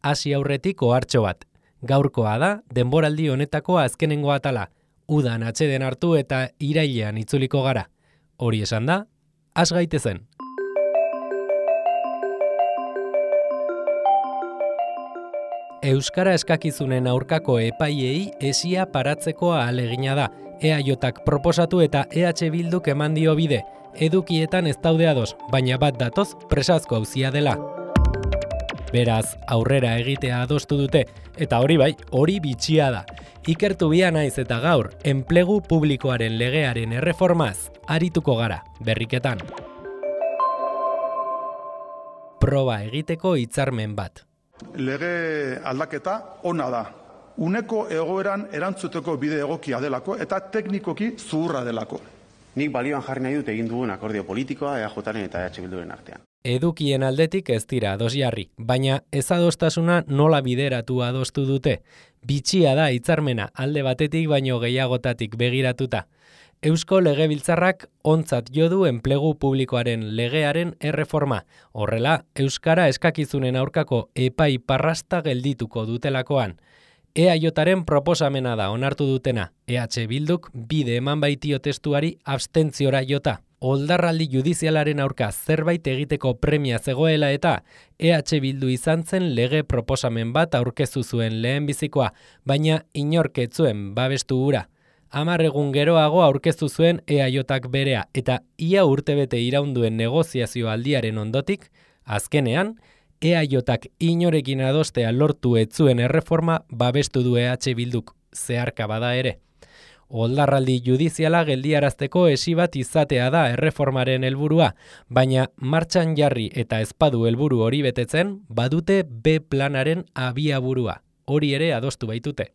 hasi aurretik ohartxo bat. Gaurkoa da, denboraldi honetako azkenengo atala. Udan atxeden hartu eta irailean itzuliko gara. Hori esan da, has gaitezen. Euskara eskakizunen aurkako epaiei esia paratzeko ahalegina da. EAJak proposatu eta EH Bilduk eman dio bide. Edukietan ez daude ados, baina bat datoz presazko auzia dela. Beraz, aurrera egitea adostu dute, eta hori bai, hori bitxia da. Ikertu bia naiz eta gaur, enplegu publikoaren legearen erreformaz arituko gara, berriketan. Proba egiteko hitzarmen bat. Lege aldaketa ona da. Uneko egoeran erantzuteko bide egokia delako eta teknikoki zuhurra delako. Nik balioan jarri nahi dut egin dugun akordio politikoa EAJaren eta EH Bilduren artean. Edukien aldetik ez dira ados jarri, baina ezadostasuna nola bideratu adostu dute. Bitxia da hitzarmena alde batetik baino gehiagotatik begiratuta. Eusko Legebiltzarrak ontzat jo du enplegu publikoaren legearen erreforma. Horrela, euskara eskakizunen aurkako epai parrasta geldituko dutelakoan. EAJaren proposamena da onartu dutena. EH Bilduk bide eman baitio testuari abstentziora jota. Oldarraldi judizialaren aurka zerbait egiteko premia zegoela eta EH Bildu izan zen lege proposamen bat aurkeztu zuen lehenbizikoa, baina inork ez zuen babestu hura. 10 egun geroago aurkeztu zuen EAJak berea eta ia urtebete iraunduen negoziazio aldiaren ondotik, azkenean, EAJak inorekin adostea lortu ez zuen erreforma babestu du EH Bilduk, zeharka bada ere. Oldarraldi judiziala geldiarazteko esi bat izatea da erreformaren helburua, baina martxan jarri eta ezpadu helburu hori betetzen, badute B planaren abiaburua, hori ere adostu baitute.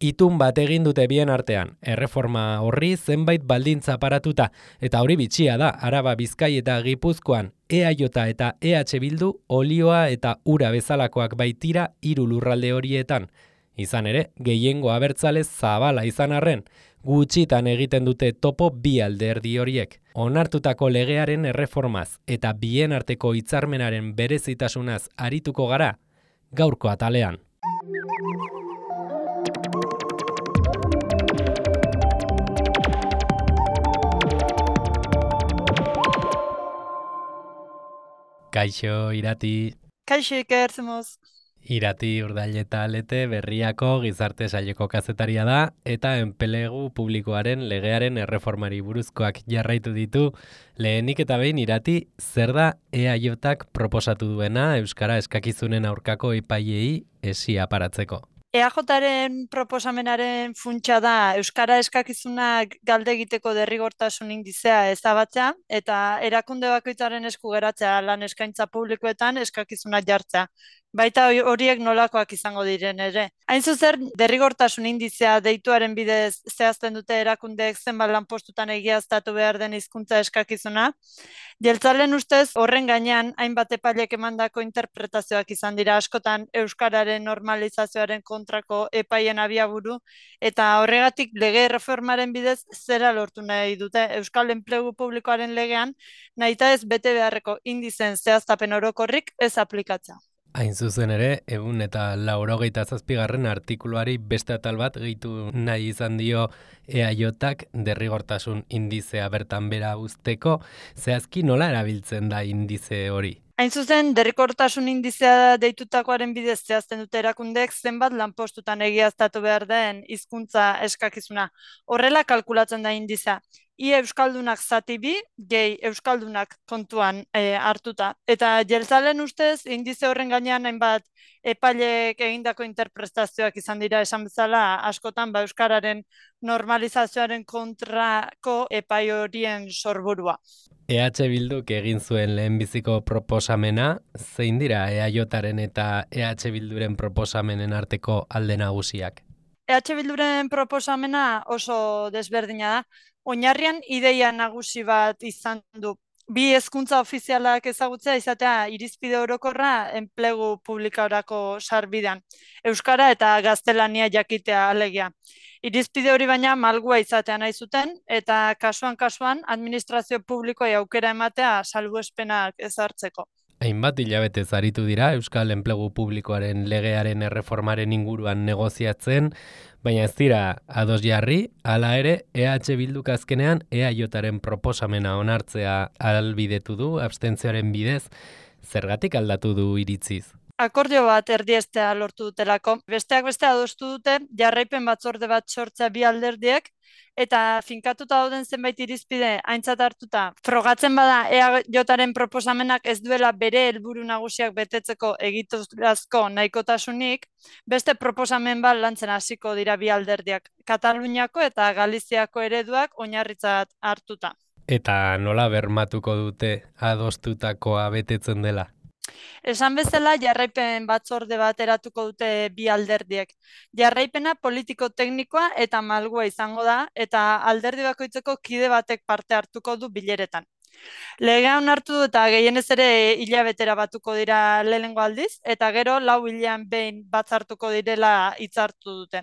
Itun bat egin dute bien artean, erreforma horri zenbait baldintza paratuta, eta hori bitxia da, Araba, Bizkai eta Gipuzkoan, EAJ eta EH Bildu olioa eta ura bezalakoak baitira 3 lurralde horietan. Izan ere, gehiengo abertzale zabala izan arren, gutxitan egiten dute topo bi alderdi horiek. Onartutako legearen erreformaz eta bien arteko hitzarmenaren berezitasunaz arituko gara, gaurko atalean. Kaixo, Irati. Kaixo, Iker, zemoz. Irati Urdaileta Alete Berriako gizarte saileko kazetaria da eta enplegu publikoaren legearen erreformari buruzkoak jarraitu ditu. Lehenik eta behin, Irati, zer da EAJak proposatu duena euskara eskakizunen aurkako epaiei esia paratzeko? EAJaren proposamenaren funtsa da euskara eskakizunak galde egiteko derrigortasun indizea ezabatzea eta erakunde bakoitzaren esku geratzea lan eskaintza publikoetan eskakizunak jartzea. Baita horiek nolakoak izango diren ere. Hain zuzen, derrigortasun indizea deituaren bidez zehazten dute erakundeek zenbat lanpostutan egiaztatu behar den hizkuntza eskakizuna. Jeltzalen ustez, horren gainean, hainbat epailek emandako interpretazioak izan dira askotan euskararen normalizazioaren kontrako epaien abiaburu, eta horregatik lege reformaren bidez zera lortu nahi dute euskal enplegu publikoaren legean, nahita ez bete beharreko indizen zehaztapen orokorrik ez aplikatzea. Hain zuzen ere, 187. artikuluari beste atal bat gehitu nahi izan dio EAJak derrigortasun indizea bertan bera uzteko, zehazki nola erabiltzen da indize hori? Hain zuzen, derrigortasun indizea deitutakoaren bidez zehazten dute erakundeek zenbat lanpostutan egiaztatu behar den hizkuntza eskakizuna. Horrela kalkulatzen da indizea. Ia euskaldunak zati bi, gehi euskaldunak kontuan hartuta. Eta jeltzalen ustez, indize horren gainean hainbat epailek egindako interpretazioak izan dira esan bezala, askotan euskararen normalizazioaren kontrako epai horien sorburua. EH Bilduk egin zuen lehenbiziko proposamena, zein dira EAJaren eta EH Bilduren proposamenen arteko alde nagusiak? EH Bilduren proposamena oso desberdina da. Oinarrian ideia nagusi bat izan du. Bi hezkuntza ofizialak ezagutzea izatea irizpide orokorra enplegu publikorako sarbidean. Euskara eta gaztelania jakitea alegia. Irizpide hori baina malgua izatea nahi zuten eta kasuan administrazio publikoei aukera ematea salbuespenak ezartzeko. Hainbat hilabete aritu dira Euskal Enplegu Publikoaren legearen erreformaren inguruan negoziatzen, baina ez dira ados jarri, hala ere EH Bilduk azkenean EAJaren proposamena onartzea ahalbidetu du abstentzioaren bidez, zergatik aldatu du iritziz. Akordio bat erdiestea lortu dutelako. Besteak beste adostu dute jarraipen batzorde bat sortzea bi alderdiek, eta finkatuta dauden zenbait irizpide aintzat hartuta frogatzen bada EAJaren proposamenak ez duela bere helburu nagusiak betetzeko egiturazko nahikotasunik, beste proposamen bat lantzen hasiko dira bi alderdiak, Kataluniako eta Galiziako ereduak oinarritzat hartuta. Eta nola bermatuko dute adostutakoa betetzen dela? Esan bezala, jarraipen batzorde bat eratuko dute bi alderdiek. Jarraipena politiko-teknikoa eta malgua izango da, eta alderdi bakoitzeko kide batek parte hartuko du bileretan. Legea onartu eta gehienez ere hilabetera batuko dira lehenengo aldiz, eta gero 4 hilean behin batzartuko direla hitzartu dute.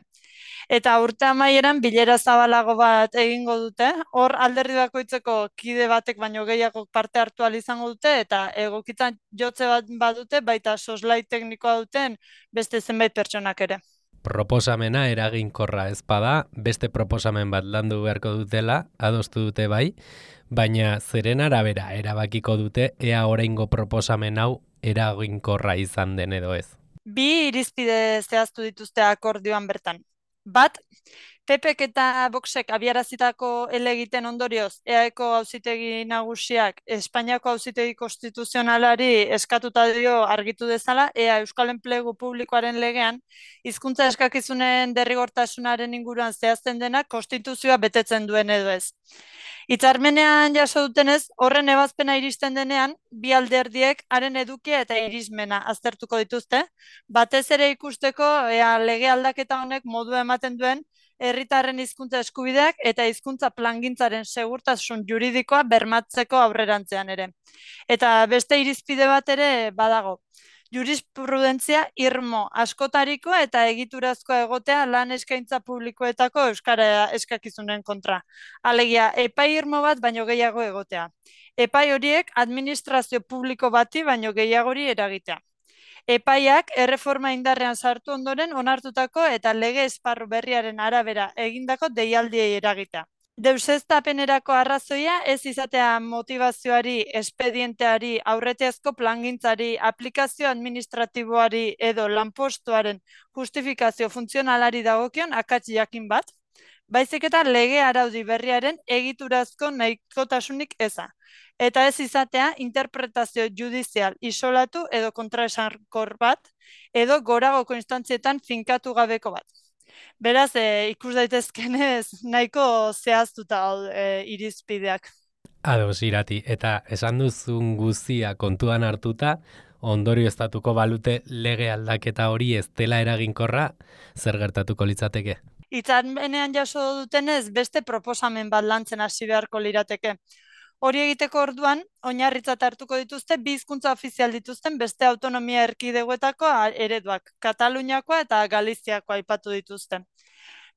Eta urte amaieran bilera zabalago bat egingo dute, hor alderdi bakoitzeko kide batek baino gehiago parte hartu ahal izango dute, eta egokitan jotze bat badute, baita soslai teknikoa duten beste zenbait pertsonak ere. Proposamena eraginkorra ez bada, beste proposamen bat landu beharko dutela, adostu dute bai, baina zeren arabera erabakiko dute ea oraingo proposamen hau eraginkorra izan den edo ez. Bi irizpide zehaztu dituzte akordioan bertan. Bat, PPk eta Voxek abiarazitako helegiten ondorioz EAeko auzitegi nagusiak Espainiako auzitegi konstituzionalari eskatuta dio argitu dezala EA Euskal Enplegu Publikoaren legean hizkuntza eskakizunen derrigortasunaren inguruan zehazten dena konstituzioa betetzen duen edo ez. Hitzarmenean jaso dutenez, horren ebazpena iristen denean, bi alderdiek haren edukia eta irismena aztertuko dituzte, batez ere ikusteko ea lege aldaketa honek modua ematen duen herritarren hizkuntza eskubideak eta hizkuntza plangintzaren segurtasun juridikoa bermatzeko aurrerantzean ere. Eta beste irizpide bat ere badago. Jurisprudentzia irmo askotarikoa eta egiturazkoa egotea lan eskaintza publikoetako euskara eskakizunen kontra. Alegia, epai irmo bat baino gehiago egotea. Epai horiek administrazio publiko bati baino gehiagori eragitea. Epaiak erreforma indarrean sartu ondoren onartutako eta lege esparru berriaren arabera egindako deialdiei eragitea. Deuseztapenerako arrazoia ez izatea motivazioari, espedienteari, aurretiazko plangintzari, aplikazio administratiboari edo lanpostuaren justifikazio funtzionalari dagokion akats jakin bat, baizik eta lege araudi berriaren egiturazko nahikotasunik eza. Eta ez izatea interpretazio judizial isolatu edo kontraesankor bat, edo goragoko instantzietan finkatu gabeko bat. Beraz, ikus daitezkenez nahiko zehaztuta irizpideak. Ados, Irati, eta esan duzun guztia kontuan hartuta, ondorioztatuko balute lege aldaketa hori ez dela eraginkorra, zer gertatuko litzateke? Hitzarmenean jaso dutenez beste proposamen bat lantzen hasi beharko lirateke. Hori egiteko orduan, oinarritzat hartuko dituzte bi hizkuntza ofizial dituzten beste autonomia erkidegoetako ereduak, Kataluniakoa eta Galiziakoa aipatu dituzte.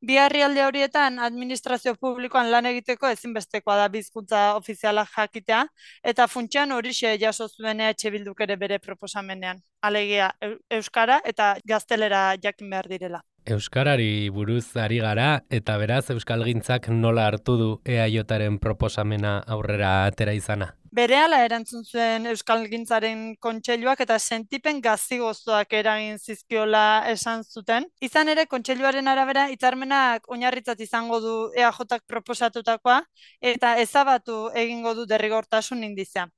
Bi herrialde horietan administrazio publikoan lan egiteko ezinbestekoa da bi hizkuntza ofiziala jakitea, eta funtsean horixe jaso zuen EH Bilduk ere bere proposamenean. Alegia, euskara eta gaztelera jakin behar direla. Euskarari buruz ari gara, eta beraz euskalgintzak nola hartu du EAJaren proposamena aurrera atera izana? Berehala erantzun zuen Euskalgintzaren kontseiluak eta sentipen gazi-gozoak eragin zizkiola esan zuten. Izan ere, kontseiluaren arabera hitzarmenak oinarritzat izango du EAJak proposatutakoa eta ezabatu egingo du derrigortasun indizea.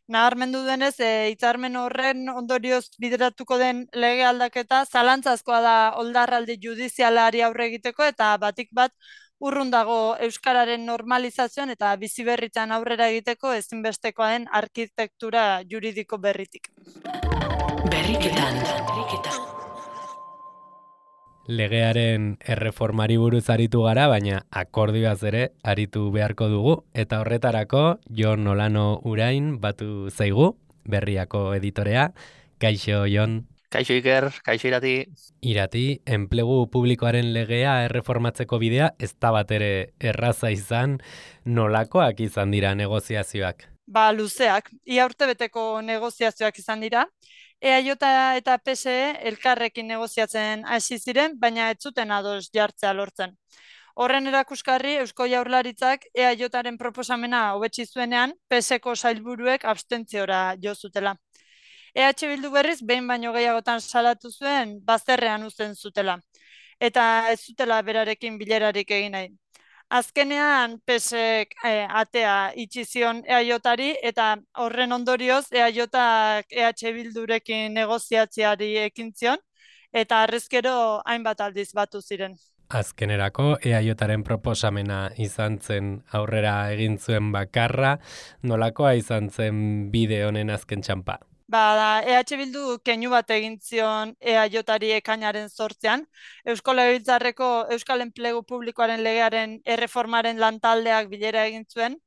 Nabarmendu denez, hitzarmen horren ondorioz bideratuko den lege aldaketa zalantzazkoa da oldarraldi judizialari aurre egiteko eta batik bat urrun dago euskararen normalizazioan eta biziberritzan aurrera egiteko ezinbestekoa den arkitektura juridiko berritik. Berriketan. Legearen erreformari buruz aritu gara, baina akordioaz ere aritu beharko dugu, eta horretarako Jon Olano Urain batu zaigu, Berriako editorea. Kaixo, Jon. Kaixo Iker, kaixo Irati. Irati, enplegu publikoaren legea erreformatzeko bidea ez da bat ere erraza izan, nolakoak izan dira negoziazioak? luzeak. Ia urtebeteko negoziazioak izan dira. EAJ eta PSE elkarrekin negoziatzen hasi ziren, baina ez zuten ados jartzea lortzen. Horren erakusgarri, Eusko Jaurlaritzak EAJaren proposamena hobetsi zuenean, PSeko sailburuek abstentziora jo zutela. EH Bildu berriz behin baino gehiagotan salatu zuen bazterrean uzten zutela, eta ez zutela berarekin bilerarik egin nahi. Azkenean PSek atea itxi zion EAJari eta horren ondorioz EAJak EH Bildurekin negoziatziari ekin zion eta harrezkero hainbat aldiz batu ziren. Azkenerako EAJaren proposamena izan zen aurrera egin zuen bakarra, nolakoa izan zen bide honen azken txanpa? EH Bildu keinu bat egin zion EAJari ekainaren 8ean, Eusko Legebiltzarreko Euskal Enplegu Publikoaren legearen erreformaren lantaldeak bilera egin zuen,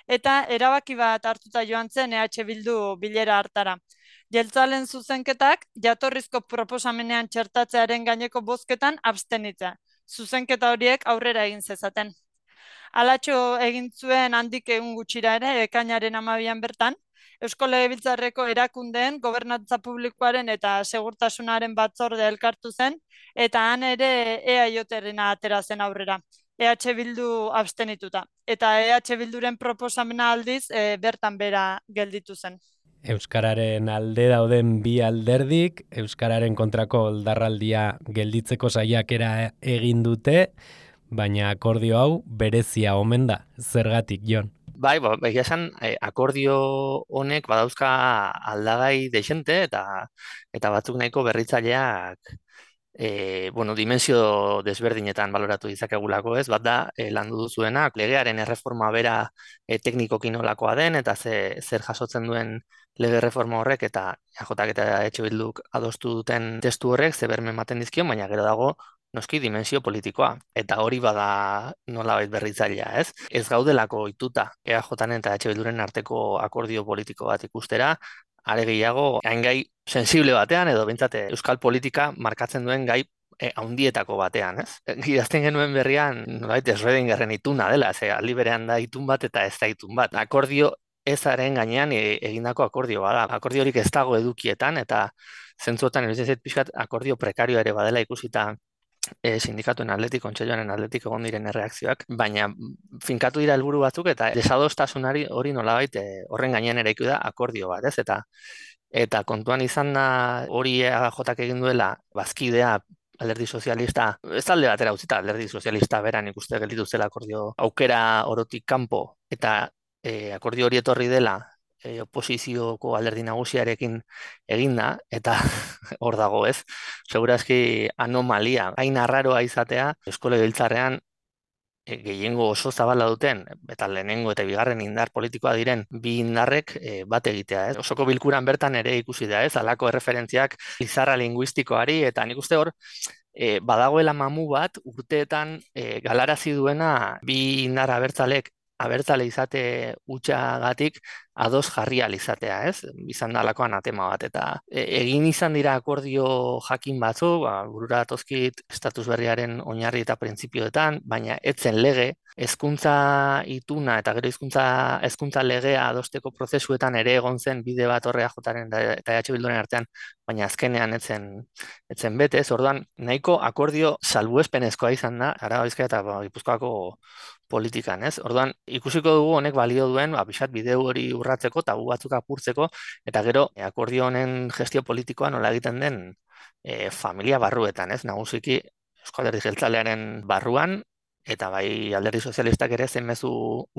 eta erabaki bat hartuta joan zen EH Bildu bilera hartara. Jeltzalen zuzenketak jatorrizko proposamenean txertatzearen gaineko bozketan abstenitzea. Zuzenketa horiek aurrera egin zezaten. Halatxo egin zuen handik egun gutxira ere, ekainaren 12an bertan, Eusko Legebiltzarreko erakundeen, gobernantza publikoaren eta segurtasunaren batzorde elkartu zen, eta han ere EAJarena atera zen aurrera. EH Bildu abstenituta. Eta EH Bilduren proposamena aldiz bertan bera gelditu zen. Euskararen alde dauden bi alderdik, Euskararen kontrako oldarraldia gelditzeko saiakera egin dute, baina akordio hau berezia omen da. Zergatik, Jon? Bai, egia esan, akordio honek badauzka aldagai dexente eta batzuk nahiko berritzaileak dimensio desberdinetan baloratu ditzakegulako, ez? Bat da, landu duzuena, legearen erreforma bera teknikoki nolakoa den, eta zer jasotzen duen lege reforma horrek, eta EAJak eta EH Bilduk adostu duten testu horrek, ze berme ematen dizkion, baina gero dago, noski dimensio politikoa. Eta hori bada nolabait berritzailea, ez? Ez gaudelako ohituta EAJaren eta EH Bilduren arteko akordio politiko bat ikustera, are gehiago, hain gai sensible batean, edo behintzat euskal politika markatzen duen gai haundietako batean, ez? Idazten genuen berrian, nolabait Schrödingerren ituna dela, aldi berean da itun bat eta ez da itun bat. Akordio ezaren gainean egindako akordio bada. Akordiorik ez dago edukietan, eta zentzuotan erizet pixkat akordio prekarioa ere badela ikusita sindikatuen aldetik, kontseiluaren aldetik egon diren erreakzioak, baina finkatu dira helburu batzuk eta desadostasunari hori nolabait horren gainean eraiki da akordio bat, ez? Eta kontuan izan da hori EAJak egin duela bazkidea Alderdi Sozialista, ez alde batera utzita, Alderdi Sozialista beran ikuste gelditu zela akordio aukera orotik kanpo, eta akordio hori etorri dela oposizioko alderdi nagusiarekin eginda, eta hor dago, ez? Segurazki anomalia, hain arraroa izatea, Eusko Legebiltzarrean gehiengo oso zabala duten, eta lehenengo eta bigarren indar politikoa diren bi indarrek bat egitea, ez? Osoko bilkuran bertan ere ikusi da, ez? Halako erreferentziak lizarra linguistikoari, eta nik uste hor, badagoela mamu bat urteetan galarazi duena bi indar abertzale izate utxagatik ados jarria izatea, ez? Izan da halakoan atema bat, eta egin izan dira akordio jakin batzu, burura datozkit estatus berriaren oinarri eta printzipioetan, baina etzen lege, hezkuntza ituna eta gero hezkuntza legea adosteko prozesuetan ere egon zen bide bat horre EAJaren eta EH Bilduren artean, baina azkenean etzen bete, ez? Orduan, nahiko akordio salbuespenezkoa izan da, Araba, Bizkaia eta Gipuzkoako politikan, ez? Orduan, ikusiko dugu honek balio duen, pixat bideu hori urratzeko, tabu batzuk apurtzeko, eta gero akordio honen gestio politikoa nola egiten den familia barruetan, ez? Nagusiki Eusko Alderdi Jeltzalearen barruan, eta bai Alderdi Sozialistak ere zein mezu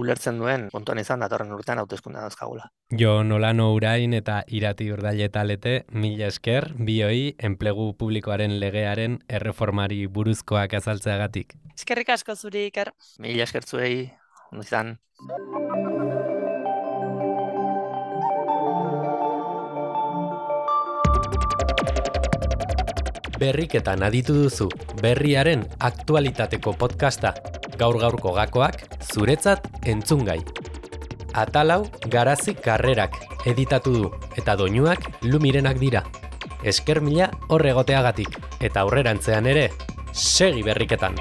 ulertzen duen kontuan izan datorren urtean hauteskunde dauzkagula. Jon Olano Urain eta Irati Urdaile Talete, mila esker, bioi enplegu publikoaren legearen erreformari buruzkoak azaltzeagatik. Eskerrik asko zuri, Iker. Mila esker zuei, ondo izan. Berriketan aditu duzu, berriaren aktualitateko podcasta. Gaur-gaurko gakoak, zuretzat entzungai. Atalau Garazi Karrerak editatu du, eta doinuak Lumirenak dira. Esker mila horregoteagatik, eta aurrerantzean ere, segi berriketan.